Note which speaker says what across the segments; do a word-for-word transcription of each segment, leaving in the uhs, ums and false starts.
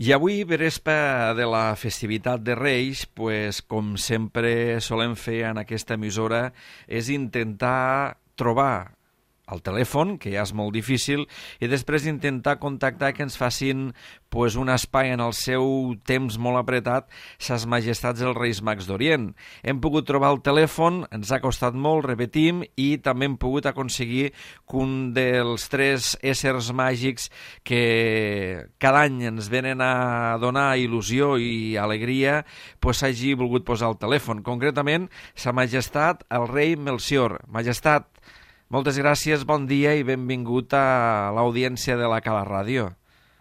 Speaker 1: I avui, verespa de la festivitat de Reis, pues, com sempre solem fer en aquesta emissora, és intentar trobar al telèfon, que ja és molt difícil, i després intentar contactar que ens facin pues, un espai en el seu temps molt apretat, ses majestats dels Reis Mags d'Orient. Hem pogut trobar el telèfon, ens ha costat molt, repetim, i també hem pogut aconseguir que un dels tres éssers màgics que cada any ens venen a donar il·lusió i alegria pues, hagi volgut posar el telèfon. Concretament, sa majestat, el rei Melcior. Majestat, moltes gràcies, bon dia i benvingut a l'audiència de la Cala Ràdio.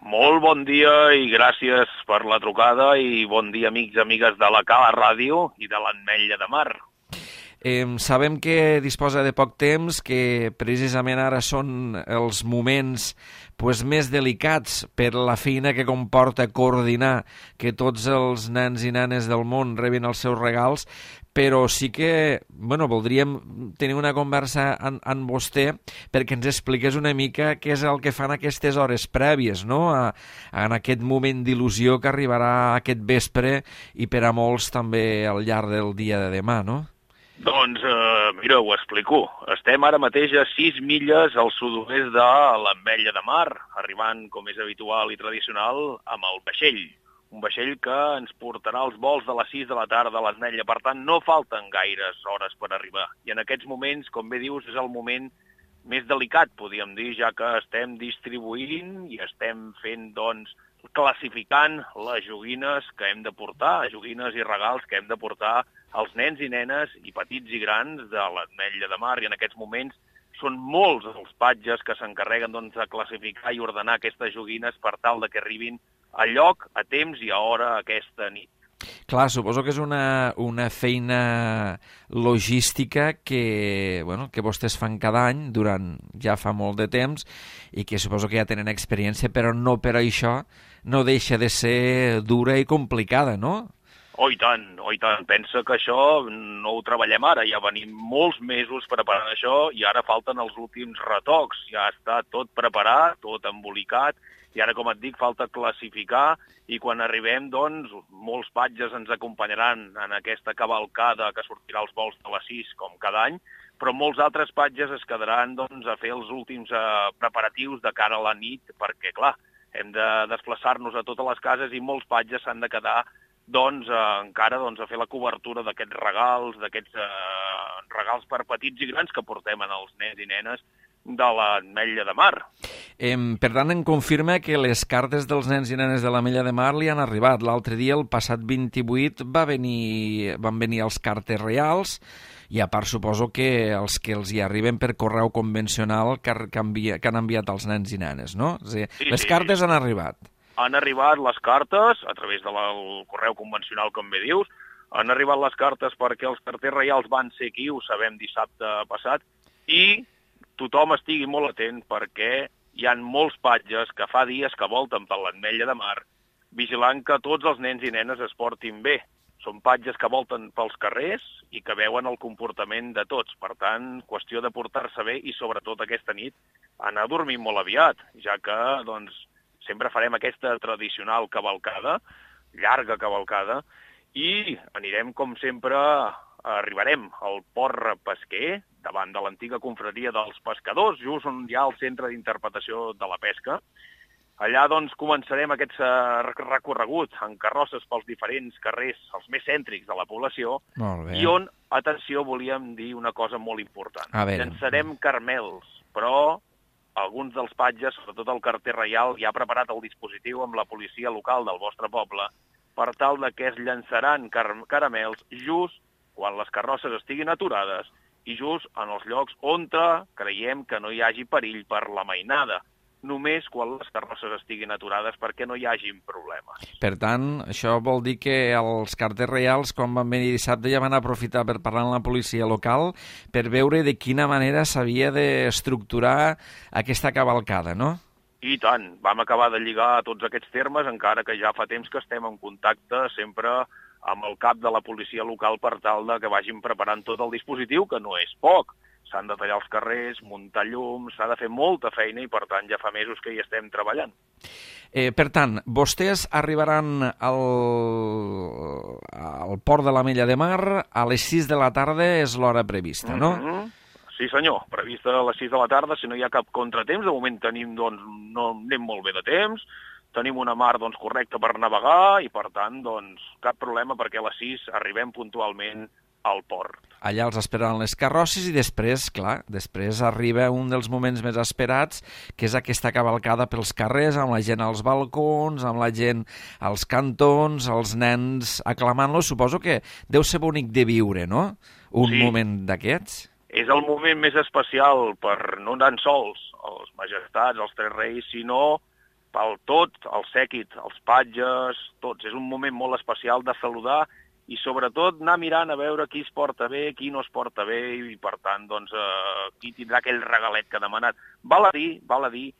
Speaker 2: Molt bon dia i gràcies per la trucada i bon dia amics i amigues de la Cala Ràdio i de l'Ametlla de Mar.
Speaker 1: Eh, sabem que disposa de poc temps, que precisament ara són els moments pues, més delicats per la feina que comporta coordinar que tots els nens i nenes del món rebin els seus regals, però sí que bueno, voldríem tenir una conversa amb, amb vostè perquè ens expliqués una mica què és el que fan aquestes hores prèvies, no? A, a, en aquest moment d'il·lusió que arribarà aquest vespre i per a molts també al llarg del dia de demà, no?
Speaker 2: Doncs, eh, mira, ho explico. Estem ara mateix a sis milles al sud-oest de l'Ametlla de Mar, arribant, com és habitual i tradicional, amb el vaixell. Un vaixell que ens portarà els vols de les sis de la tarda a l'Ametlla, per tant, no falten gaires hores per arribar. I en aquests moments, com bé dius, és el moment més delicat, podríem dir, ja que estem distribuint i estem fent, doncs, classificant les joguines que hem de portar, joguines i regals que hem de portar als nens i nenes i petits i grans de l'Ametlla de Mar. I en aquests moments són molts els patges que s'encarreguen doncs, de classificar i ordenar aquestes joguines per tal de que arribin a lloc, a temps i a hora aquesta nit.
Speaker 1: Clar, suposo que és una, una feina logística que, bueno, que vostès fan cada any durant ja fa molt de temps i que suposo que ja tenen experiència, però no per això no deixa de ser dura i complicada, no?
Speaker 2: Oh, i tant, oh, i tant. Pensa que això no ho treballem ara, ja venim molts mesos preparant això i ara falten els últims retocs. Ja està tot preparat, tot embolicat, i ara, com et dic, falta classificar i quan arribem, doncs, molts patges ens acompanyaran en aquesta cavalcada que sortirà als vols de les sis, com cada any, però molts altres patges es quedaran doncs, a fer els últims eh, preparatius de cara a la nit, perquè, clar, hem de desplaçar-nos a totes les cases i molts patges s'han de quedar doncs, eh, encara doncs, a fer la cobertura d'aquests regals, d'aquests eh, regals per petits i grans que portem en els nens i nenes de l'Ametlla de Mar.
Speaker 1: Eh, per tant, em confirma que les cartes dels nens i nenes de l'Ametlla de Mar li han arribat. L'altre dia, el passat vint-i-vuit, va venir, van venir els cartes reals i a part suposo que els que els hi arriben per correu convencional que, que, envia, que han enviat els nens i nenes, no? És a dir,
Speaker 2: sí,
Speaker 1: les
Speaker 2: sí,
Speaker 1: cartes
Speaker 2: sí.
Speaker 1: han arribat.
Speaker 2: Han arribat les cartes, a través del correu convencional, com bé dius, han arribat les cartes perquè els carters reials van ser aquí, ho sabem dissabte passat, i tothom estigui molt atent perquè hi ha molts patges que fa dies que volten per l'Ametlla de Mar vigilant que tots els nens i nenes es portin bé. Són patges que volten pels carrers i que veuen el comportament de tots. Per tant, qüestió de portar-se bé i sobretot aquesta nit anar a dormir molt aviat, ja que doncs, sempre farem aquesta tradicional cavalcada, llarga cavalcada, i anirem, com sempre, arribarem al port pesquer, davant de l'antiga confraria dels pescadors, just on hi ha el centre d'interpretació de la pesca. Allà, doncs, començarem aquest recorregut en carrosses pels diferents carrers, els més cèntrics de la població, i on, atenció, volíem dir una cosa molt important. Llançarem carmels, però alguns dels patges, sobretot el carter reial, ja ha preparat el dispositiu amb la policia local del vostre poble per tal de que es llançaran car caramels just quan les carrosses estiguin aturades i just en els llocs on creiem que no hi hagi perill per la mainada, només quan les carrosses estiguin aturades perquè no hi hagin problemes.
Speaker 1: Per tant, això vol dir que els carters reials, quan van venir dissabte, ja van aprofitar per parlar amb la policia local per veure de quina manera s'havia d'estructurar aquesta cavalcada, no?
Speaker 2: I tant, vam acabar de lligar tots aquests termes, encara que ja fa temps que estem en contacte sempre amb el cap de la policia local per tal de que vagin preparant tot el dispositiu, que no és poc. s'han de tallar els carrers, muntar llums, s'ha de fer molta feina i, per tant, ja fa mesos que hi estem treballant.
Speaker 1: Eh, per tant, vostès arribaran al, al port de l'Ametlla de Mar a les sis de la tarda, és l'hora prevista, no?
Speaker 2: Mm-hmm. Sí, senyor, prevista a les sis de la tarda, si no hi ha cap contratemps. De moment tenim, doncs, no anem molt bé de temps, tenim una mar, doncs, correcta per navegar i, per tant, doncs, cap problema perquè a les sis arribem puntualment al port.
Speaker 1: Allà els esperaran les carrosses i després, clar, després arriba un dels moments més esperats, que és aquesta cavalcada pels carrers, amb la gent als balcons, amb la gent als cantons, els nens aclamant-los. Suposo que deu ser bonic de viure, no? Un
Speaker 2: sí.
Speaker 1: moment d'aquests.
Speaker 2: És el moment més especial per no tan sols els majestats, els tres reis, sinó pel tot, el sèquit, els patges, tots. És un moment molt especial de saludar i sobretot anar mirant a veure qui es porta bé, qui no es porta bé i, per tant, doncs, eh, qui tindrà aquell regalet que ha demanat. Val a dir, val a dir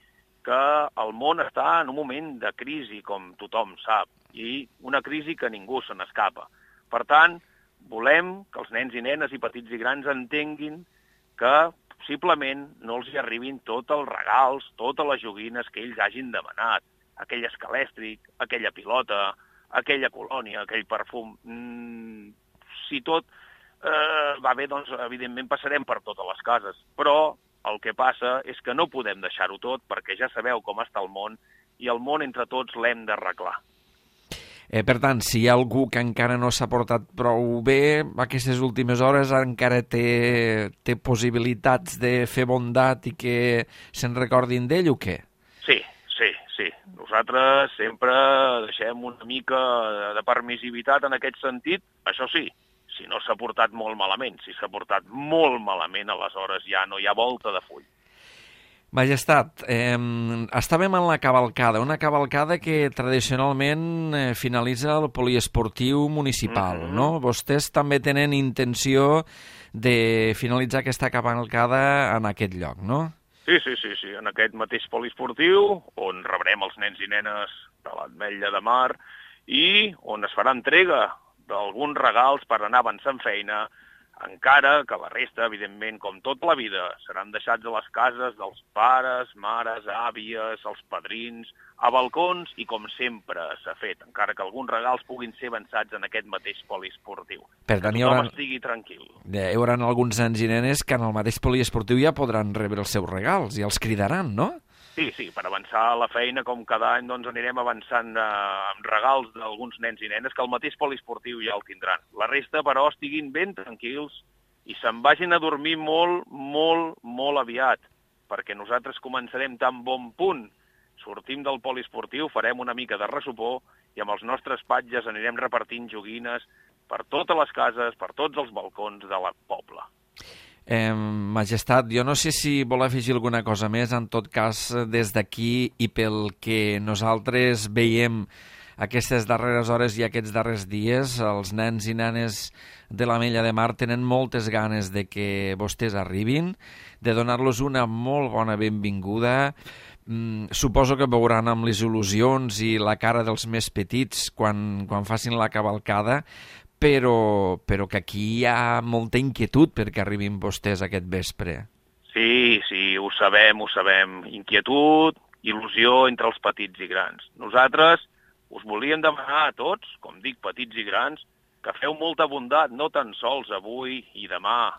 Speaker 2: que el món està en un moment de crisi, com tothom sap, i una crisi que ningú se n'escapa. Per tant, volem que els nens i nenes i petits i grans entenguin que possiblement no els hi arribin tots els regals, totes les joguines que ells hagin demanat, aquell escalèstric, aquella pilota, aquella colònia, aquell perfum. Mm, si tot eh, va bé, doncs evidentment passarem per totes les cases, però el que passa és que no podem deixar-ho tot perquè ja sabeu com està el món i el món entre tots l'hem d'arreglar.
Speaker 1: Eh, per tant, si hi ha algú que encara no s'ha portat prou bé, aquestes últimes hores encara té, té possibilitats de fer bondat i que se'n recordin d'ell o què?
Speaker 2: Sí, sí, sí. Nosaltres sempre deixem una mica de permissivitat en aquest sentit. Això sí, si no s'ha portat molt malament. Si s'ha portat molt malament, aleshores ja no hi ha volta de full.
Speaker 1: Majestat, eh, estàvem en la cavalcada, una cavalcada que tradicionalment eh, finalitza el poliesportiu municipal, mm-hmm. no? Vostès també tenen intenció de finalitzar aquesta cavalcada en aquest lloc, no?
Speaker 2: Sí, sí, sí, sí, en aquest mateix poliesportiu, on rebrem els nens i nenes de l'Ametlla de Mar i on es farà entrega d'alguns regals per anar avançant feina, encara que la resta, evidentment, com tota la vida, seran deixats a les cases dels pares, mares, àvies, els padrins, a balcons i com sempre s'ha fet, encara que alguns regals puguin ser avançats en aquest mateix poliesportiu.
Speaker 1: Per tant,
Speaker 2: que tothom estigui tranquil.
Speaker 1: Hi haurà alguns nens i nenes que en el mateix poliesportiu ja podran rebre els seus regals i els cridaran, no?
Speaker 2: Sí, sí, per avançar la feina, com cada any, doncs anirem avançant eh, amb regals d'alguns nens i nenes que el mateix poliesportiu ja el tindran. La resta, però, estiguin ben tranquils i se'n vagin a dormir molt, molt, molt aviat, perquè nosaltres començarem tan bon punt. Sortim del poliesportiu, farem una mica de ressopor i amb els nostres patges anirem repartint joguines per totes les cases, per tots els balcons de la pobla.
Speaker 1: Eh, Majestat, jo no sé si vol afegir alguna cosa més, en tot cas, des d'aquí i pel que nosaltres veiem aquestes darreres hores i aquests darrers dies, els nens i nenes de l'Ametlla de Mar tenen moltes ganes de que vostès arribin, de donar-los una molt bona benvinguda. Mm, suposo que veuran amb les il·lusions i la cara dels més petits quan, quan facin la cavalcada, Però, però que aquí hi ha molta inquietud perquè arribin vostès aquest vespre.
Speaker 2: Sí, sí, ho sabem, ho sabem. Inquietud, il·lusió entre els petits i grans. Nosaltres us volíem demanar a tots, com dic, petits i grans, que feu molta bondat, no tan sols avui i demà,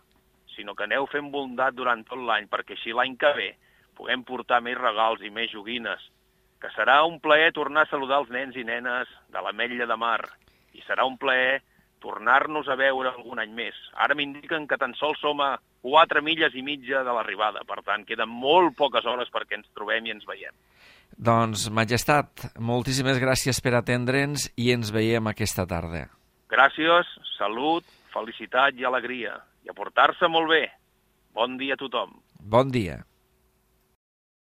Speaker 2: sinó que aneu fent bondat durant tot l'any, perquè així l'any que ve puguem portar més regals i més joguines, que serà un plaer tornar a saludar els nens i nenes de l'Ametlla de Mar, i serà un plaer tornar-nos a veure algun any més. Ara m'indiquen que tan sols som a quatre milles i mitja de l'arribada, per tant, queden molt poques hores perquè ens trobem i ens veiem.
Speaker 1: Doncs, Majestat, moltíssimes gràcies per atendre'ns i ens veiem aquesta tarda.
Speaker 2: Gràcies, salut, felicitat i alegria, i a portar-se molt bé. Bon dia a tothom.
Speaker 1: Bon dia.